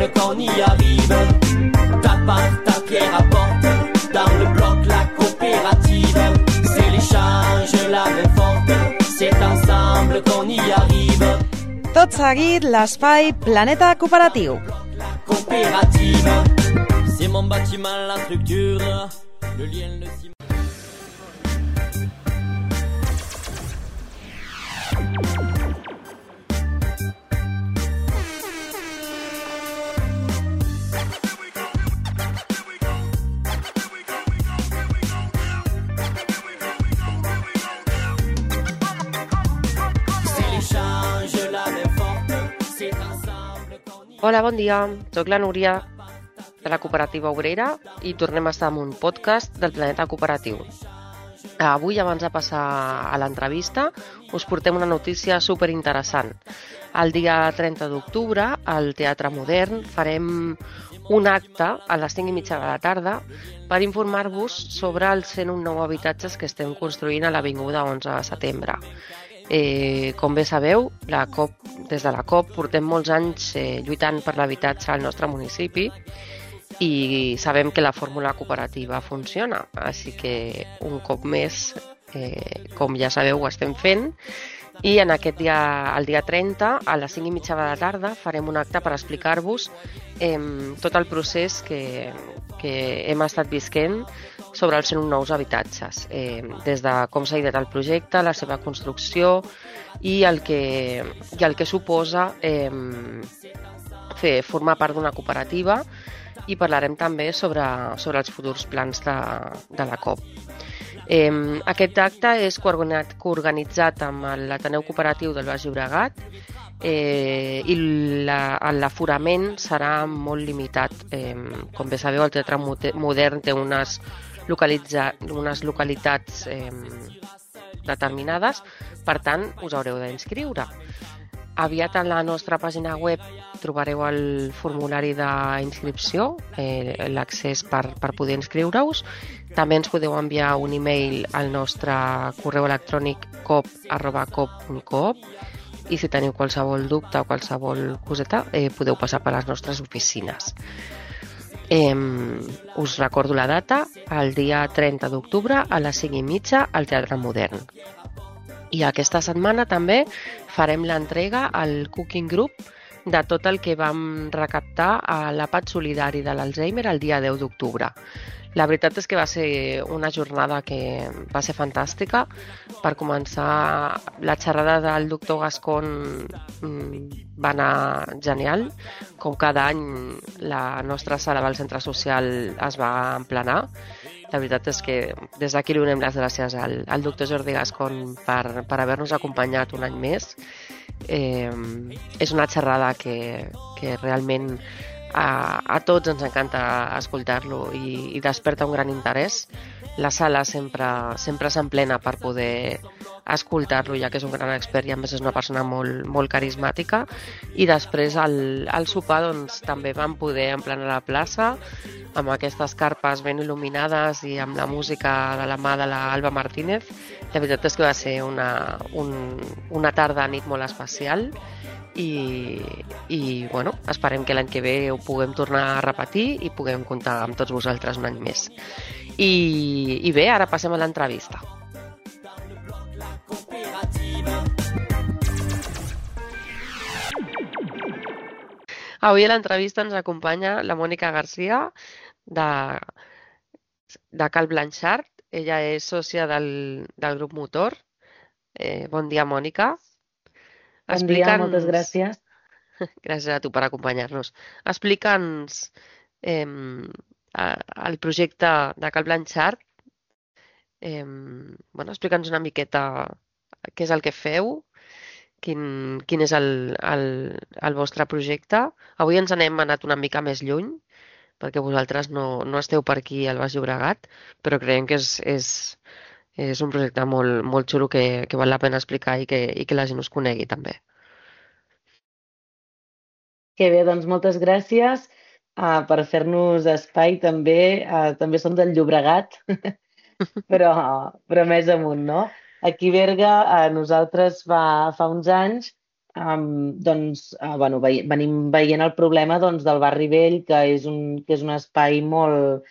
ensemble qu'on y arrive. Tape par ta pierre apporte dans le bloc la coopérative. C'est l'échange, la main forte, c'est ensemble qu'on y arrive. Tot seguit, l'espai Planeta Cooperatiu. La coopérative, c'est mon bâtiment, la structure, le lien, le ciment. Hola, bon dia. Soc la Núria de la Cooperativa Obrera i tornem a estar en un podcast del Planeta Cooperatiu. Avui, abans de passar a l'entrevista, us portem una notícia superinteressant. El dia 30 d'octubre, al Teatre Modern, farem un acte a les 5:30 de la tarda per informar-vos sobre els 101 nous habitatges que estem construint a l'Avinguda 11 de setembre. Com bé sabeu, des de la COP portem molts anys lluitant per l'habitatge al nostre municipi i sabem que la fórmula cooperativa funciona, així que un cop més, com ja sabeu, ho estem fent i en aquest dia, el dia 30, a les 5:30 de la tarda, farem un acte per explicar-vos tot el procés que hem estat visquent sobre els 101 nous habitatges, des de com s'ha ideat el projecte, la seva construcció i el que suposa formar part d'una cooperativa, i parlarem també sobre els futurs plans de la COP. Aquest acte és coorganitzat amb l'Ateneu Cooperatiu del Baix Llobregat i l'aforament serà molt limitat. Com bé sabeu, el Teatre Modern té unes localitats determinades, per tant, us haureu d'inscriure. Aviat a la nostra pàgina web trobareu el formulari d'inscripció, l'accés per poder inscriure-us. També ens podeu enviar un e-mail al nostre correu electrònic cop@cop.coop i si teniu qualsevol dubte o qualsevol coseta podeu passar per les nostres oficines. Us recordo la data, el dia 30 d'octubre a les 5:30 al Teatre Modern. I aquesta setmana també farem l'entrega al Cooking Group de tot el que vam recaptar a l'àpat solidari de l'Alzheimer el dia 10 d'octubre. La veritat és que va ser una jornada que va ser fantàstica. Per començar, la xerrada del doctor Gascon va anar genial. Com cada any, la nostra sala del centre social es va emplenar. La veritat és que des d'aquí li donem les gràcies al doctor Jordi Gascon per haver-nos acompanyat un any més. És una xerrada que realment a tots ens encanta escoltar-lo i desperta un gran interès. La sala sempre s'emplena per poder escoltar-lo, ja que és un gran expert i a més és una persona molt carismàtica. I després al sopar doncs, també vam poder emplenar la plaça amb aquestes carpes ben il·luminades i amb la música de la mà de l'Alba Martínez. La veritat és que va ser una tarda-nit molt especial i bueno, esperem que l'any que ve ho puguem tornar a repetir i puguem comptar amb tots vosaltres un any més. I bé, ara passem a l'entrevista. Avui a l'entrevista ens acompanya la Mònica Garcia de Cal Blanchard. Ella és sòcia del grup Motor. Bon dia, Mònica. Bon dia, moltes gràcies. Gràcies a tu per acompanyar-nos. Explica'ns el projecte de Cal Blanchard. Explica'ns una miqueta què és el que feu, quin és el vostre projecte. Avui ens n'hem anat una mica més lluny, perquè vosaltres no esteu per aquí al Baix Llobregat, però creiem que és un projecte molt xulo que val la pena explicar i que la gent us conegui també. Que bé, doncs moltes gràcies per fer-nos espai també. També som del Llobregat, però més amunt, no? Aquí a Berga, nosaltres fa uns anys bueno, venim veient el problema doncs, del Barri Vell, que és un espai molt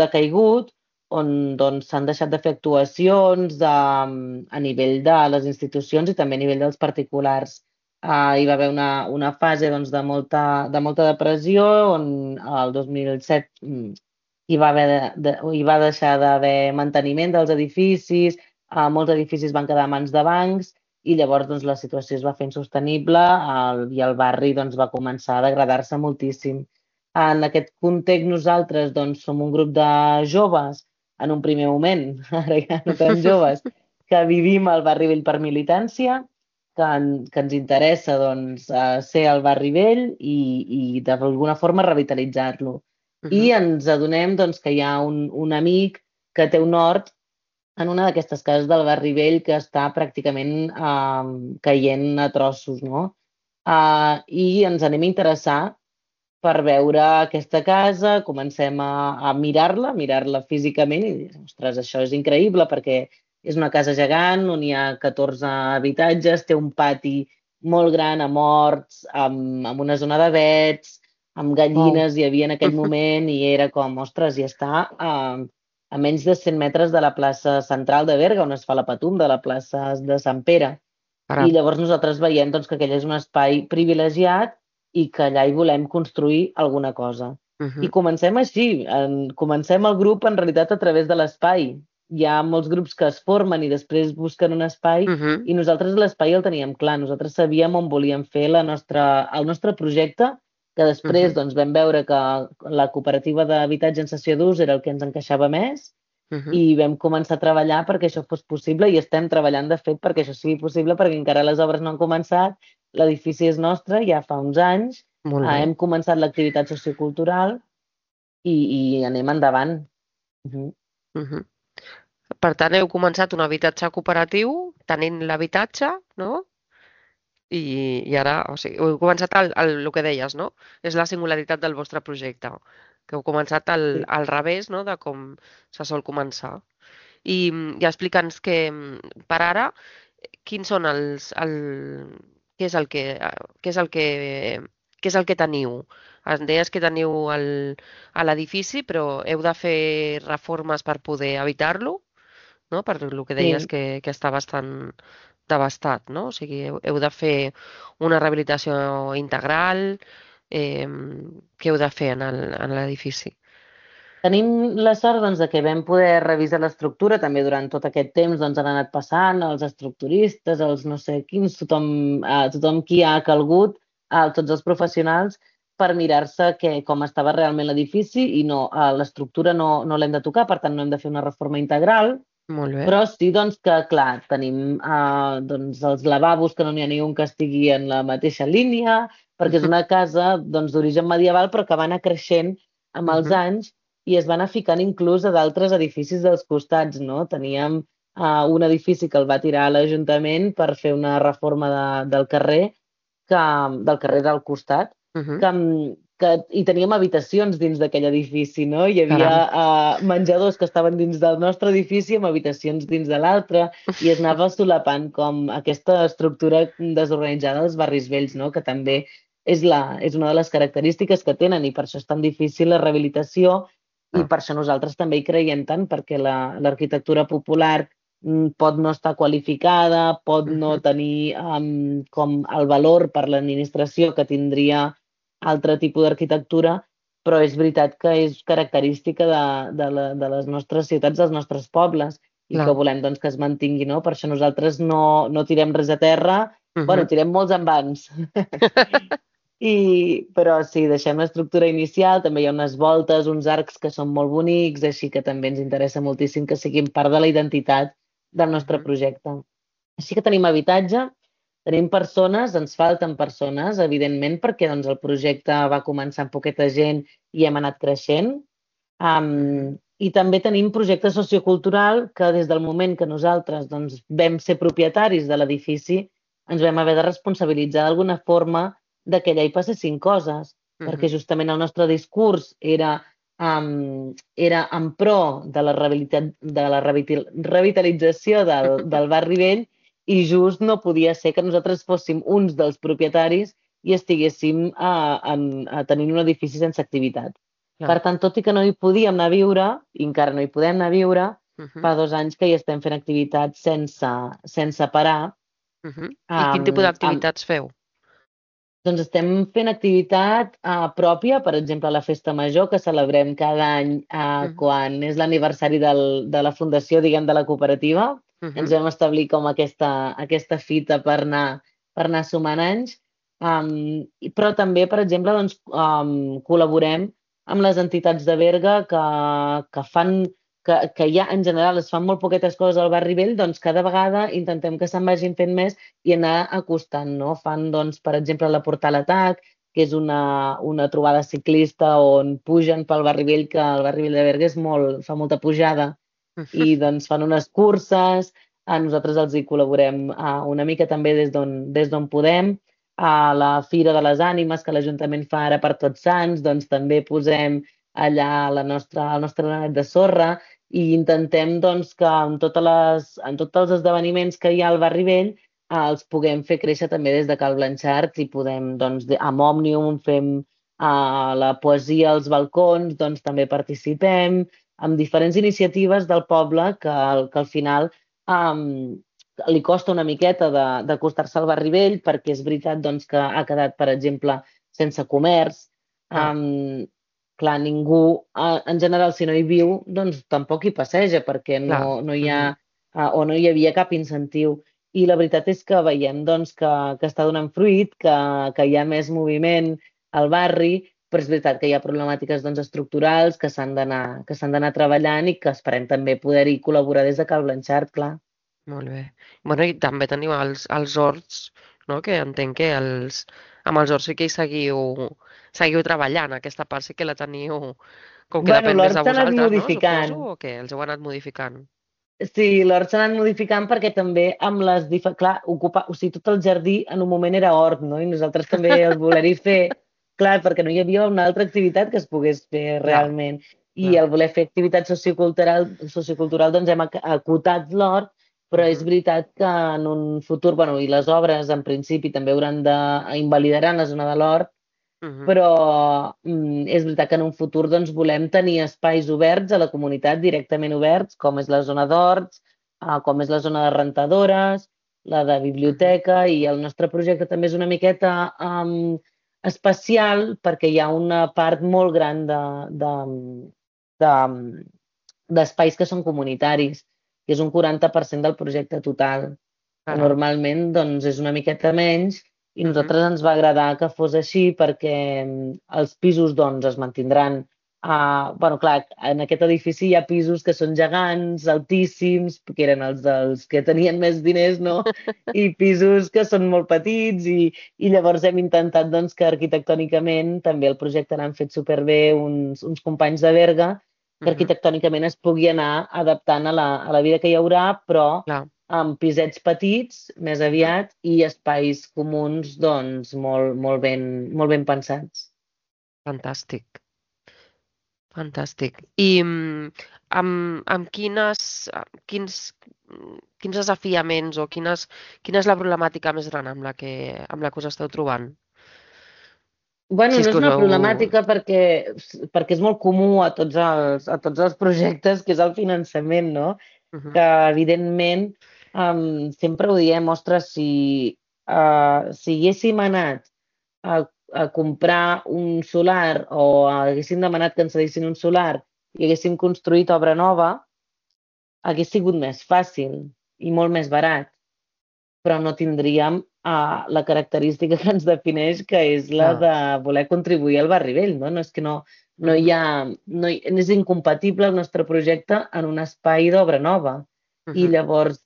decaigut, on doncs, s'han deixat de fer actuacions a nivell de les institucions i també a nivell dels particulars. Hi va haver una fase doncs, de molta depressió, on el 2007 hi va deixar d'haver manteniment dels edificis, molts edificis van quedar a mans de bancs i llavors doncs, la situació es va fer insostenible i el barri doncs, va començar a degradar-se moltíssim. En aquest context nosaltres doncs, som un grup de joves, en un primer moment, ara ja no tan joves, que vivim al barri vell per militància, que ens interessa doncs, ser al barri vell i d'alguna forma revitalitzar-lo. I ens adonem doncs, que hi ha un amic que té un hort en una d'aquestes cases del barri vell que està pràcticament caient a trossos, no? I ens anem a interessar per veure aquesta casa, comencem a mirar-la físicament i dir, ostres, això és increïble perquè és una casa gegant on hi ha 14 habitatges, té un pati molt gran amb horts, amb una zona de vets, amb gallines hi havia en aquell moment i era com, ostres, i està a menys de 100 metres de la plaça central de Berga, on es fa la Patum, de la plaça de Sant Pere. I llavors nosaltres veiem doncs, que aquell és un espai privilegiat i que allà hi volem construir alguna cosa. I comencem així, comencem el grup en realitat a través de l'espai. Hi ha molts grups que es formen i després busquen un espai i nosaltres l'espai el teníem clar, nosaltres sabíem on volíem fer el nostre projecte, que després doncs, vam veure que la cooperativa d'habitatge en cessió d'ús era el que ens encaixava més i vam començar a treballar perquè això fos possible i estem treballant de fet perquè això sigui possible perquè encara les obres no han començat, l'edifici és nostre ja fa uns anys, hem començat l'activitat sociocultural i anem endavant. Per tant, heu començat un habitatge cooperatiu tenint l'habitatge, no? I ara, o sigui, heu començat el que deies, no? És la singularitat del vostre projecte, que heu començat al revés, no?, de com se sol començar. I explica'ns que per ara, quins són què és el que teniu? Em deies que teniu a l'edifici, però heu de fer reformes per poder habitar-lo, no? Per el que deies que està bastant devastat, no? O sigui, heu de fer una rehabilitació integral, què heu de fer en l'edifici? Tenim la sort doncs, de que vam poder revisar l'estructura, també durant tot aquest temps doncs, han anat passant els estructuristes, els no sé quins, tothom qui ha calgut, tots els professionals, per mirar-se com estava realment l'edifici i no, l'estructura no l'hem de tocar, per tant no hem de fer una reforma integral, Molt bé. però sí doncs, que, clar, tenim doncs, els lavabos que no n'hi ha ni un que estigui en la mateixa línia, perquè és una casa doncs, d'origen medieval però que va anar creixent amb els anys i es va anar ficant inclús a d'altres edificis dels costats, no? Teníem un edifici que el va tirar a l'Ajuntament per fer una reforma del carrer del costat, i teníem habitacions dins d'aquell edifici, no? Hi havia menjadors que estaven dins del nostre edifici amb habitacions dins de l'altre i es anava solapant com aquesta estructura desorganitzada dels barris vells, no? Que també és una de les característiques que tenen i per això és tan difícil la rehabilitació i per això nosaltres també hi creiem tant, perquè l'arquitectura popular pot no estar qualificada, pot no tenir com el valor per l'administració que tindria altre tipus d'arquitectura, però és veritat que és característica de les nostres ciutats, dels nostres pobles, i que volem doncs, que es mantingui, no? Per això nosaltres no tirem res a terra, bueno, tirem molts envans, però sí, deixem l'estructura inicial, també hi ha unes voltes, uns arcs que són molt bonics, així que també ens interessa moltíssim que siguin part de la identitat del nostre projecte. Així que tenim habitatge, tenim persones, ens falten persones, evidentment, perquè doncs, el projecte va començar amb poqueta gent i hem anat creixent. I també tenim projecte sociocultural que des del moment que nosaltres doncs, vam ser propietaris de l'edifici ens vam haver de responsabilitzar d'alguna forma de que allà hi passessin coses, perquè justament el nostre discurs era en pro de la revitalització del barri vell i just no podia ser que nosaltres fóssim uns dels propietaris i estiguéssim tenint un edifici sense activitat. Per Clar. tant, tot i que no hi podíem anar a viure, i encara no hi podem anar a viure, Mhm, fa 2 anys que hi estem fent activitats sense parar. mhm. I quin tipus Amb, d'activitats feu? doncs estem fent activitat pròpia, per exemple, la Festa Major, que celebrem cada any Mhm, quan és l'aniversari de la fundació, diguem, de la cooperativa. Ens mhm, vam establir com aquesta fita per anar sumant anys. Però també, per exemple, doncs, col·laborem amb les entitats de Berga que fan que ja en general es fan molt poquetes coses al barri vell, doncs cada vegada intentem que se'n vagin fent més i anar acostant, no? Fan, doncs, per exemple, la Portal Atac, que és una trobada ciclista on pugen pel barri vell, que el barri vell de Berga fa molta pujada, mhm. i doncs fan unes curses, nosaltres els hi col·laborem una mica també des d'on podem. A la Fira de les Ànimes, que l'Ajuntament fa ara per Tots Sants, doncs també posem allà el nostre granet de sorra i intentem doncs, que en tots els esdeveniments que hi ha al barri vell els puguem fer créixer també des de Cal Blanchard i podem, doncs, amb Òmnium fem la poesia als balcons, doncs també participem, amb diferents iniciatives del poble que al final um, li costa una miqueta d'acostar-se al barri vell perquè és veritat doncs, que ha quedat, per exemple, sense comerç. Clar, Clar, ningú, en general, si no hi viu, doncs tampoc hi passeja perquè clar. no hi ha Mhm. o no hi havia cap incentiu. I la veritat és que veiem doncs, que està donant fruit, que hi ha més moviment al barri, però és veritat que hi ha problemàtiques doncs, estructurals que s'han d'anar treballant i que esperem també poder-hi col·laborar des de Cal Blanchard, clar. Molt bé. Bueno, i també teniu els horts, no? Que entenc que amb els horts sí que hi seguiu treballant. Aquesta part sí que la teniu, com que Bueno, depèn més de l'hort s'ha anat vosaltres, no? Suposo, modificant. o què? Els heu anat modificant. Sí, l'hort s'ha anat modificant perquè també amb clar, o sigui, tot el jardí en un moment era hort, no? I nosaltres també el voler-hi fer, clar, perquè no hi havia una altra activitat que es pogués fer Clar, realment. I clar. el voler fer activitat sociocultural doncs hem acotat l'hort, però és Mhm, veritat que en un futur, bueno, i les obres en principi també hauran invalidaran la zona de l'hort, mhm, però és veritat que en un futur doncs, volem tenir espais oberts a la comunitat, directament oberts, com és la zona d'horts, com és la zona de rentadores, la de mhm. biblioteca, i el nostre projecte també és una miqueta especial perquè hi ha una part molt gran de- d'espais que són comunitaris, que és un 40% del projecte total, que Caram. normalment doncs, és una miqueta menys, i a Mhm, nosaltres ens va agradar que fos així perquè els pisos doncs, es mantindran. Bueno, clar, en aquest edifici hi ha pisos que són gegants, altíssims, que eren els dels que tenien més diners, no? I pisos que són molt petits, i llavors hem intentat doncs, que arquitectònicament també el projecte l'han fet superbé uns companys de Berga, que mhm. arquitectònicament es pugui anar adaptant a la vida que hi haurà, però Clar. amb pisets petits, més Mhm. aviat, i espais comuns, doncs, molt ben pensats. Fantàstic. Fantàstic. I amb quins desafiaments o quina és la problemàtica més gran amb la que us esteu trobant? Bueno, Si és no és que us una heu... problemàtica perquè és molt comú a tots els projectes, que és el finançament, no? Mhm, Que, evidentment, sempre ho diem, ostres, si haguéssim anat a, a comprar un solar o haguéssim demanat que ens cedissin un solar i haguéssim construït obra nova, hagués sigut més fàcil i molt més barat, però no tindríem la característica que ens defineix, que és la clar. de voler contribuir al barri vell, no? No és que no hi Mhm, ha, és incompatible el nostre projecte en un espai d'obra nova. I mhm, llavors,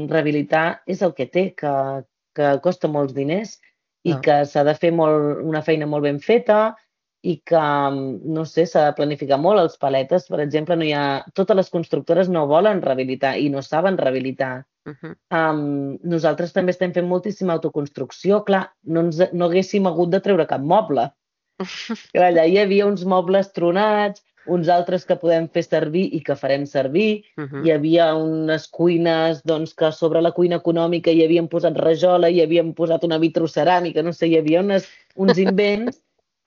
rehabilitar és el que té, que costa molts diners i clar. que s'ha de fer una feina molt ben feta i que, no sé, s'ha de planificar molt. Els paletes, per exemple, totes les constructores no volen rehabilitar i no saben rehabilitar. Mhm. Nosaltres també estem fent moltíssima autoconstrucció. Clar, no haguéssim hagut de treure cap moble. Clar, allà hi havia uns mobles tronats, uns altres que podem fer servir i que farem servir. Hi havia unes cuines doncs, que sobre la cuina econòmica hi havien posat rajola, hi havien posat una vitroceràmica, no sé, hi havia uns invents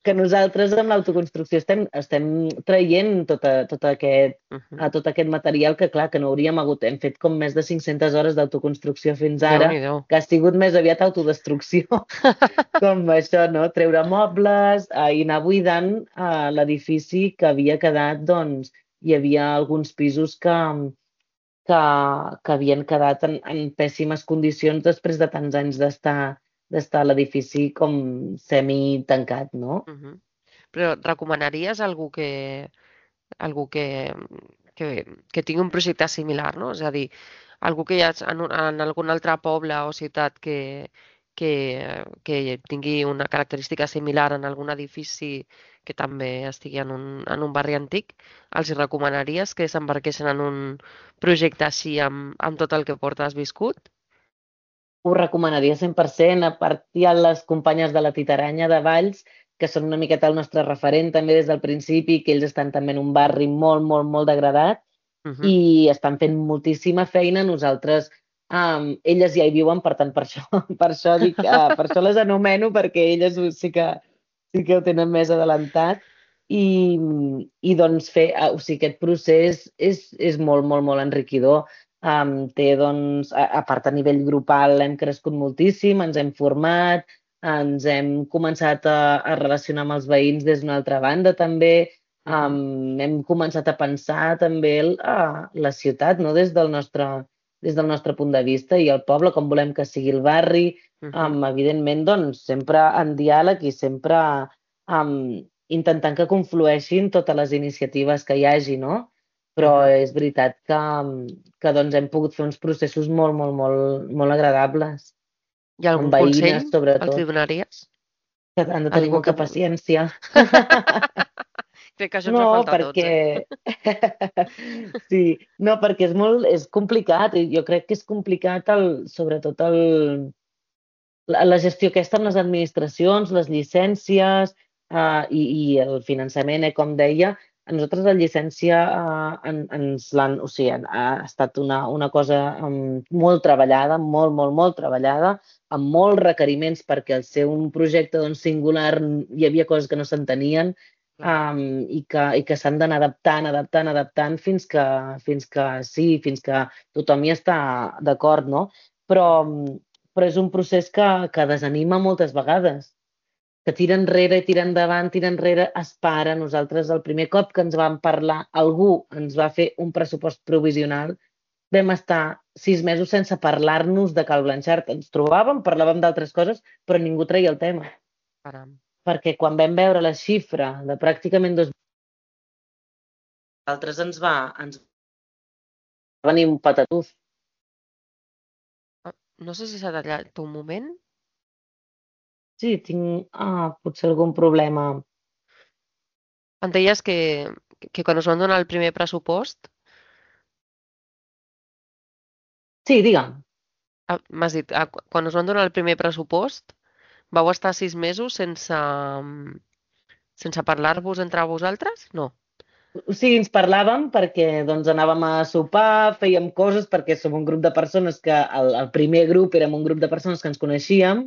que nosaltres amb l'autoconstrucció estem traient tot aquest material que, clar, que no hauríem hagut. Hem fet com més de 500 hores d'autoconstrucció fins ara, Déu-n'hi-do. que ha sigut més aviat autodestrucció, com això, no? Treure mobles i anar buidant l'edifici que havia quedat, doncs, hi havia alguns pisos que, que havien quedat en pèssimes condicions després de tants anys d'estar a l'edifici com semi-tancat, no? Però recomanaries algú que tingui un projecte similar, no? És a dir, algú que hi ha en algun altre poble o ciutat que tingui una característica similar en algun edifici que també estigui en un barri antic, els hi recomanaries que s'embarquessin en un projecte així amb tot el que portes viscut? Ho recomanaria 100%. A part, hi ha les companyes de la Titaranya de Valls, que són una miqueta el nostre referent també des del principi, que ells estan també en un barri molt, molt, molt degradat i estan fent moltíssima feina. Nosaltres, elles ja hi viuen, per tant, per això, per això les anomeno, perquè elles sí que ho tenen més adelantat. I, i doncs o sigui, aquest procés és molt, molt, molt enriquidor. Té, doncs, a part a nivell grupal hem crescut moltíssim, ens hem format, ens hem començat a relacionar amb els veïns des d'una altra banda també, hem començat a pensar també la ciutat, no? Des del nostre punt de vista i el poble, com volem que sigui el barri, evidentment, doncs, sempre en diàleg i sempre intentant que conflueixin totes les iniciatives que hi hagi, no? Però és veritat que doncs, hem pogut fer uns processos molt, molt, molt, molt agradables, Hi ha algun amb consell veïnes, els hi sobretot, donaries? que han de tenir Algú molta paciència. Crec que això ens No, va faltar a tots, perquè... Sí, no, perquè és complicat. I jo crec que és complicat, sobretot la gestió aquesta amb les administracions, les llicències i el finançament, com deia. A nosaltres la llicència ens l'han... O sigui, ha estat una cosa molt treballada, molt, molt, molt treballada, amb molts requeriments perquè al ser un projecte doncs, singular hi havia coses que no s'entenien i que s'han d'anar adaptant, adaptant, adaptant fins que tothom hi està d'acord, no? Però és un procés que desanima moltes vegades, que tira enrere, tira endavant, tira enrere, es para. Nosaltres, el primer cop que ens vam parlar, algú ens va fer un pressupost provisional, vam estar 6 mesos sense parlar-nos de Cal Blanchard. Ens trobàvem, parlàvem d'altres coses, però ningú treia el tema. Caram. Perquè quan vam veure la xifra de pràcticament 2 altres ens va venir un patatús. No sé si s'ha tallat un moment. Sí, tinc potser algun problema. Em deies que quan us van donar el primer pressupost, Sí, digue'm. m'has dit, quan us van donar el primer pressupost, vau estar 6 mesos sense parlar-vos entre vosaltres? No. O sigui, ens parlàvem perquè doncs, anàvem a sopar, fèiem coses, perquè som un grup de persones que el primer grup érem un grup de persones que ens coneixíem.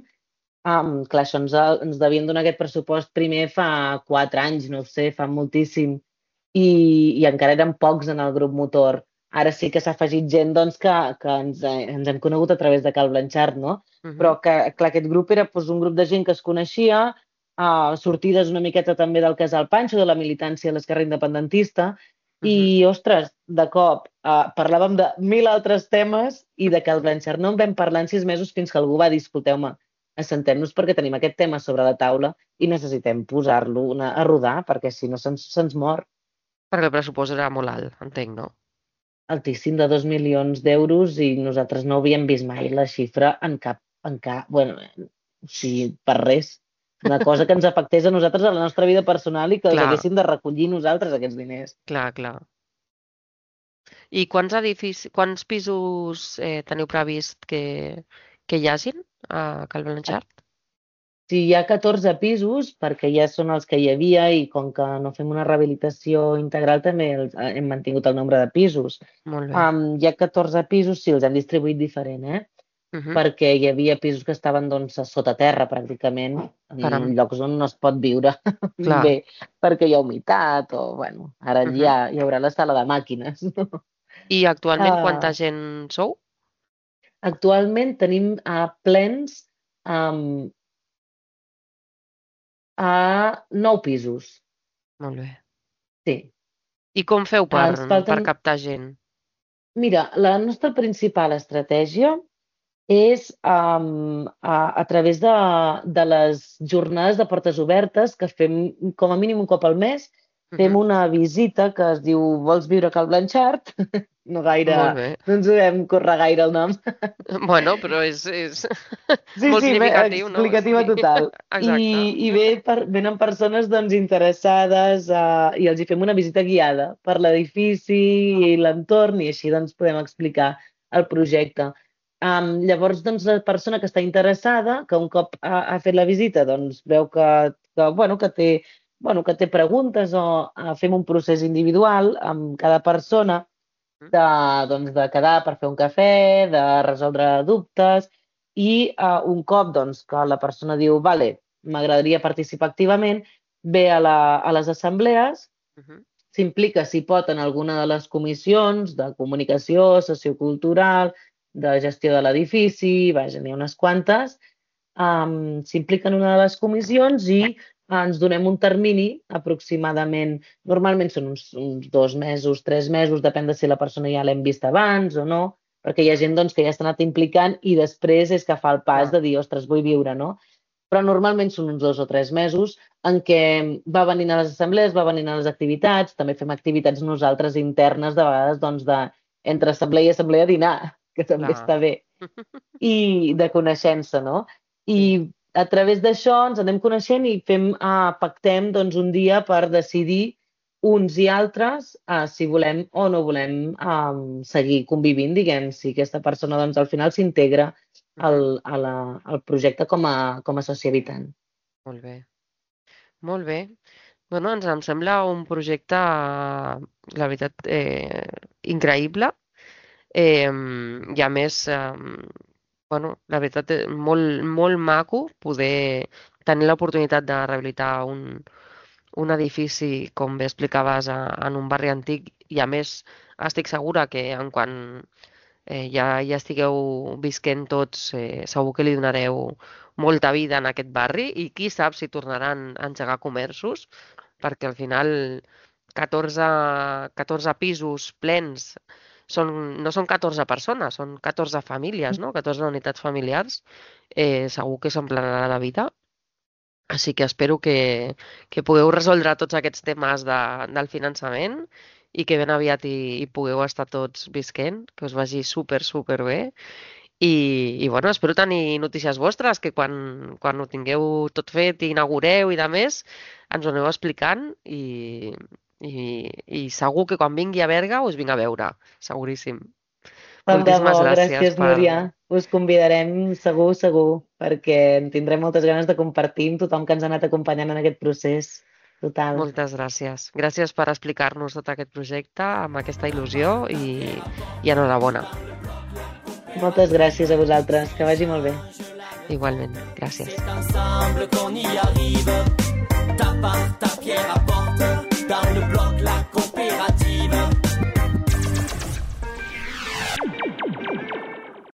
Clar, això ens devien donar aquest pressupost primer fa 4 anys, no ho sé, fa moltíssim. I encara érem pocs en el grup motor. Ara sí que s'ha afegit gent doncs, que ens hem conegut a través de Cal Blanchard, no? Però que, clar, aquest grup era doncs, un grup de gent que es coneixia, sortides una miqueta també del Casal Panxo, de la militància a l'esquerra independentista, i, ostres, de cop parlàvem de 1.000 altres temes i de Cal Blanchard no en vam parlar en 6 mesos fins que algú va dir, escolteu-me, assentem-nos perquè tenim aquest tema sobre la taula i necessitem posar-lo a rodar perquè si no se'ns mor. Perquè el pressupost era molt alt, entenc, no? Altíssim, de 2 milions d'euros i nosaltres no havíem vist mai la xifra en cap, bueno, o sigui, per res. Una cosa que ens afectés a nosaltres a la nostra vida personal i que els Clar. haguéssim de recollir nosaltres, aquests diners. Clar, clar. I quants pisos teniu previst que hi hagin a Cal Blanchard? Sí, hi ha 14 pisos, perquè ja són els que hi havia i com que no fem una rehabilitació integral també hem mantingut el nombre de pisos. Molt bé. Hi ha 14 pisos, sí, els hem distribuït diferent, Mhm. perquè hi havia pisos que estaven doncs, a sota terra pràcticament, Caram, en llocs on no es pot viure clar. bé, perquè hi ha humitat o, bueno, ara Mhm. ja hi haurà la sala de màquines. I actualment quanta Uh, gent sou? Actualment tenim plens um, a 9 pisos, Molt bé. sí. I com feu Ens per falten... captar gent? Mira, la nostra principal estratègia és a través de les jornades de portes obertes que fem com a mínim un cop al mes. Fem Mhm. una visita que es diu Vols viure a Cal Blanchard? No gaire, Molt bé. no ens ho vam córrer gaire el nom. Bueno, però és Sí, molt sí, significatiu, no? explicativa Sí. total. Exacte. I venen persones doncs, interessades i els hi fem una visita guiada per l'edifici i l'entorn i així doncs, podem explicar el projecte. Llavors, doncs, la persona que està interessada, que un cop ha fet la visita, doncs, veu bueno, que té preguntes o fem un procés individual amb cada persona doncs, de quedar per fer un cafè, de resoldre dubtes i un cop doncs, que la persona diu vale, m'agradaria participar activament, ve a les assemblees, Mhm. s'implica si pot en alguna de les comissions de comunicació, sociocultural, de gestió de l'edifici, vaja, n'hi ha unes quantes, s'implica en una de les comissions i ens donem un termini aproximadament, normalment són uns 2 mesos, 3 mesos, depèn de si la persona ja l'hem vist abans o no, perquè hi ha gent doncs, que ja s'ha anat implicant i després és que fa el pas Clar. de dir, ostres, vull viure, no? Però normalment són uns 2 o 3 mesos en què va venint a les assemblees, va venint a les activitats, també fem activitats nosaltres internes, de vegades, doncs, entre assemblea i assemblea dinar, que també Clar. està bé, i de coneixença, no? I Sí. a través d'això ens anem coneixent i pactem doncs, un dia per decidir uns i altres si volem o no volem seguir convivint, diguem, si aquesta persona doncs, al final s'integra Mhm. al projecte com a soci habitant. Molt bé. Molt bé. Bueno, em sembla un projecte, la veritat, increïble. I a més, bueno, la veritat, molt, molt maco poder tenir l'oportunitat de rehabilitar un edifici, com bé explicaves, en un barri antic i a més estic segura que en quan ja estigueu visquent tots, segur que li donareu molta vida en aquest barri i qui sap si tornaran a engegar comerços, perquè al final 14 pisos plens no són 14 persones, són 14 famílies, no? 14 unitats familiars. Segur que s'emplenarà de vida. Així que espero que pugueu resoldre tots aquests temes del finançament i que ben aviat hi pugueu estar tots visquent, que us vagi super, super bé. I bueno, espero tenir notícies vostres, que quan ho tingueu tot fet i inaugureu i de més, ens ho aneu explicant i segur que quan vingui a Berga us vinc a veure, seguríssim. Tant de bo, Moltíssimes gràcies gràcies, Núria. Us convidarem segur, segur, perquè en tindrem moltes ganes de compartir amb tothom que ens ha anat acompanyant en aquest procés. Total. Moltes gràcies. Gràcies per explicar-nos tot aquest projecte amb aquesta il·lusió i enhorabona. Moltes gràcies a vosaltres. Que vagi molt bé. Igualment. Gràcies. C'est ensemble qu'on y arrive. Ta part, ta pierre apporte. Dans le bloc, la coopérative.